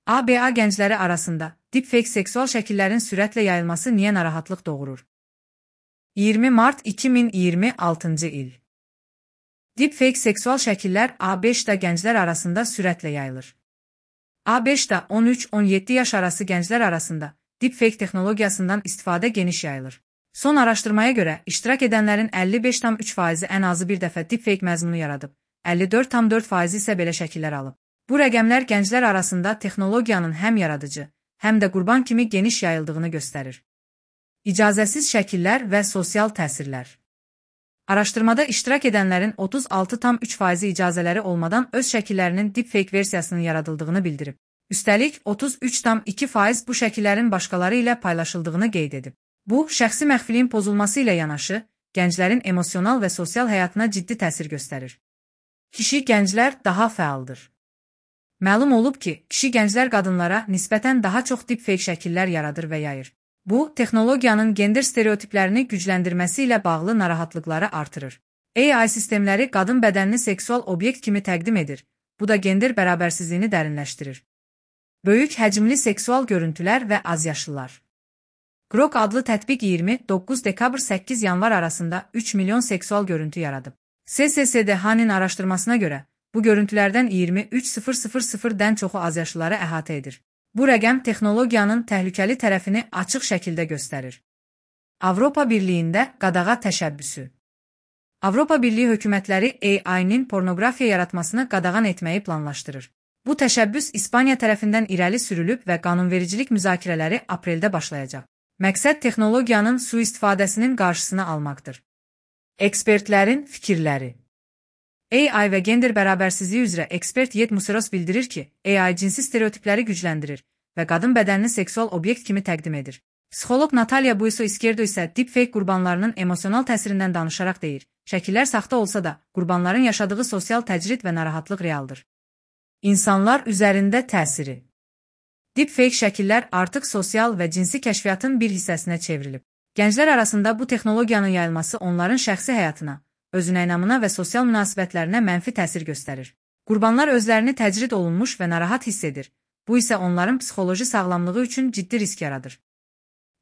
ABA gəncləri arasında deepfake seksual şəkillərin sürətlə yayılması niyə narahatlıq doğurur? 20 mart 2026-cı il. Deepfake seksual şəkillər A5-da gənclər arasında sürətlə yayılır. A5-da 13-17 yaş arası gənclər arasında deepfake texnologiyasından istifadə geniş yayılır. Son araşdırmaya görə, iştirak edənlərin 55,3% ən azı bir dəfə deepfake məzmunu yaradıb, 54,4% isə belə şəkillər alıb. Bu rəqəmlər gənclər arasında texnologiyanın həm yaradıcı, həm də qurban kimi geniş yayıldığını göstərir. İcazəsiz şəkillər və sosial təsirlər. Araşdırmada iştirak edənlərin 36,3% icazələri olmadan öz şəkillərinin deepfake versiyasının yaradıldığını bildirib. Üstəlik, 33,2% bu şəkillərin başqaları ilə paylaşıldığını qeyd edib. Bu, şəxsi məxfiliyin pozulması ilə yanaşı, gənclərin emosional və sosial həyatına ciddi təsir göstərir. Kişi gənclər daha fəaldır. Məlum olub ki, kişi gənclər qadınlara nisbətən daha çox deepfake şəkillər yaradır və yayır. Bu, texnologiyanın gender stereotiplərini gücləndirməsi ilə bağlı narahatlıqları artırır. AI sistemləri qadın bədənini seksual obyekt kimi təqdim edir. Bu da gender bərabərsizliyini dərinləşdirir. Böyük həcmli seksual görüntülər və azyaşlılar. Grok adlı tətbiq 29 dekabr 8 yanvar arasında 3 milyon seksual görüntü yaradıb. SSDH-nin araşdırmasına görə, bu görüntülərdən 23,000-dən çoxu azyaşlıları əhatə edir. Bu rəqəm texnologiyanın təhlükəli tərəfini açıq şəkildə göstərir. Avropa Birliyində qadağa təşəbbüsü. Avropa Birliyi hökumətləri AI-nin pornografiya yaratmasını qadağan etməyi planlaşdırır. Bu təşəbbüs İspaniya tərəfindən irəli sürülüb və qanunvericilik müzakirələri apreldə başlayacaq. Məqsəd texnologiyanın sui-istifadəsinin qarşısını almaqdır. Ekspertlərin fikirləri. AI və gender bərabərsizliyi üzrə ekspert Yet Museros bildirir ki, AI cinsi stereotipləri gücləndirir və qadın bədənini seksual obyekt kimi təqdim edir. Psixoloq Natalia Buiso Izquierdo isə deepfake qurbanlarının emosional təsirindən danışaraq deyir, şəkillər saxta olsa da, qurbanların yaşadığı sosial təcrid və narahatlıq realdır. İnsanlar üzərində təsiri. Deepfake şəkillər artıq sosial və cinsi kəşfiyyatın bir hissəsinə çevrilib. Gənclər arasında bu texnologiyanın yayılması onların şəxsi həyatına, özünəynamına və sosial münasibətlərinə mənfi təsir göstərir. Qurbanlar özlərini təcrid olunmuş və narahat hiss edir. Bu isə onların psixoloji sağlamlığı üçün ciddi risk yaradır.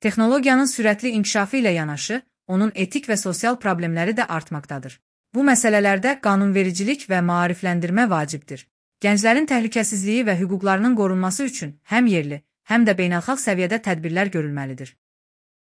Texnologiyanın sürətli inkişafı ilə yanaşı, onun etik və sosial problemləri də artmaqdadır. Bu məsələlərdə qanunvericilik və maarifləndirmə vacibdir. Gənclərin təhlükəsizliyi və hüquqlarının qorunması üçün həm yerli, həm də beynəlxalq səviyyədə tədbirlər görülməlidir.